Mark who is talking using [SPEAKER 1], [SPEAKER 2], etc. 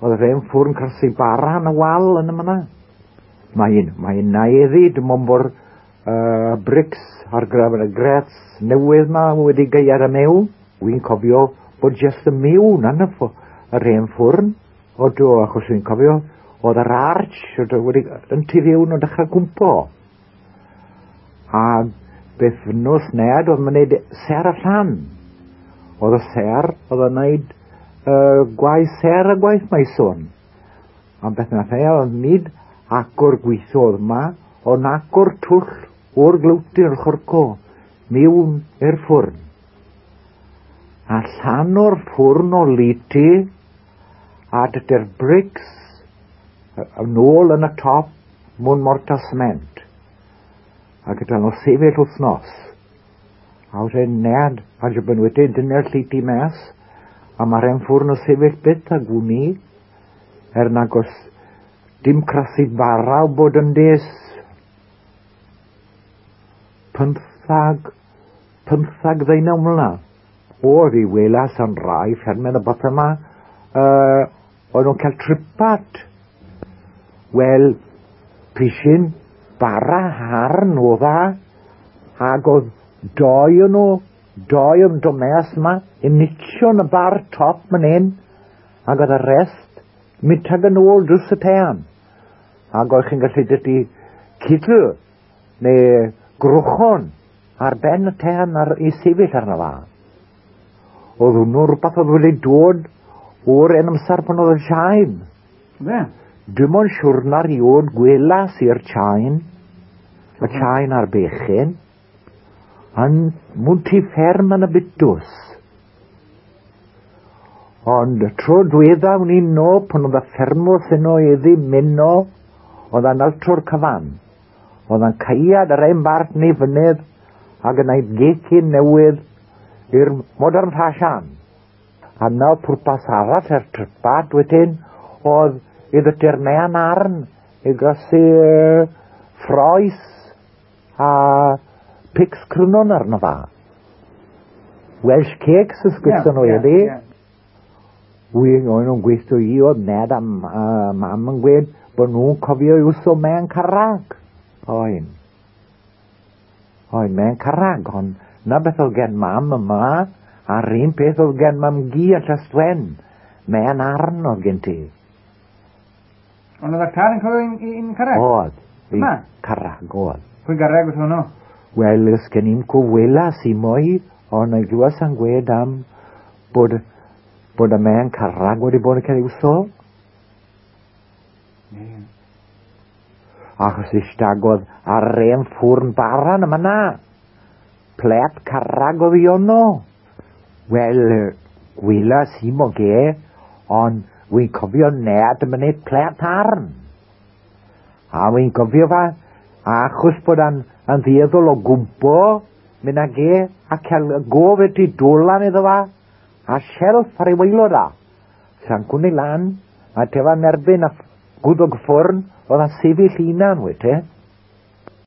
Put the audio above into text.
[SPEAKER 1] Oedd yr hen ffwrn crasu bara yn y wal yn y myna. Mae'n naeddu, dim ond bod brics ar gyfer y grets newydd ma wedi geiad y mew. Wy'n cofio bod jyst y mewn yn yr hen ffwrn. O do, achos wy'n cofio, oedd yr arch wedi yn tu fewn o dechrau gwmpo. A beth nos ned oedd mynd ser y llan. Oedd y ser, oedd yn gwneud gwaith ser a gwaith maeswn. A beth nath e, oedd nid agor gweithiodd yma, ond agor twll o'r glywtyn o'r chorco mewn i'r ffwrn. A llan o'r ffwrn o liti, a dydy'r brics yn ôl yn y top mwyn mortar cement. A gyda nhw sefyll wythnos. A wedyn ned, a jybyn wedyn dyna'r lleiti mes, a mae'r hen ffwrn o sefyll byth a gwni, er nag os dim crasu bara o bod yn des 15 19 mlynedd. O, fi welas yn rai ffermydd y beth yma, oedd nhw'n cael tripat. Wel, pishin bara harn oedd a, ac oedd doi o'n nhw, doi o'n domes yma, yn nitio yn y bar top man hyn, ac oedd y rest mitag yn ôl drws y tean. Ac oedd chi'n gallu dydy cydl neu grwchon ar ben y tean ar, i sefyll arno fa. Oedd hwnnw rhywbeth oedd wedi dod o'r en amser pan oedd y chain.
[SPEAKER 2] Be?
[SPEAKER 1] Dim ond siwrna rioed gwelas i'r chain, y chain ar bechyn, yn mwyn fferm yn y bitws. Ond tro dwedda wn i'n no, pan oedd y ffermwr yno iddi myno, oedd yn altro'r cyfan. Oedd yn caead yr ein bart neu fynydd ac yn ei gecyn newydd i'r modern fashion. A na pwrpas arall er trypad wedyn oedd i ddydy'r mean arn i grasu ffroes a pics crynon arno fa. Welsh cakes ysgwython nhw iddi. Wy'n o'n nhw'n gweithio i oedd ned a mam yn gweud bod nhw'n cofio i wso mewn carrag. Oen. Oen, mewn carrag, ond na beth oedd gen mam yma, a'r un peth oedd gen mam gi a Llystwen. Mewn arn oedd gen ti.
[SPEAKER 2] Ond oedd y car yn cofio un carrag?
[SPEAKER 1] Oedd.
[SPEAKER 2] Yma?
[SPEAKER 1] Carrag, oedd.
[SPEAKER 2] Pwy garreg oedd hwnnw?
[SPEAKER 1] Wel, ys gen i'n cwylas i mwy, ond y glwas yn gweud am bod y mewn carrag wedi bod yn cael ei wso.
[SPEAKER 2] Yeah.
[SPEAKER 1] Achos eistagod ar ein ffwrn baran yma na. Plet carrag oedd i ono. Wel, gwylas i mo ge, ond wy'n cofio ned yn mynd plet arn. A wy'n cofio fa, achos bod yn ddieddol o gwmpo, mynd ag e, a cael y gof wedi dolan iddo fa, a shelf ar ei waelod a. Sa'n cwni lan, a tefa'n erbyn a gwddog ffwrn, oedd yn sefyll hunan, wyt te.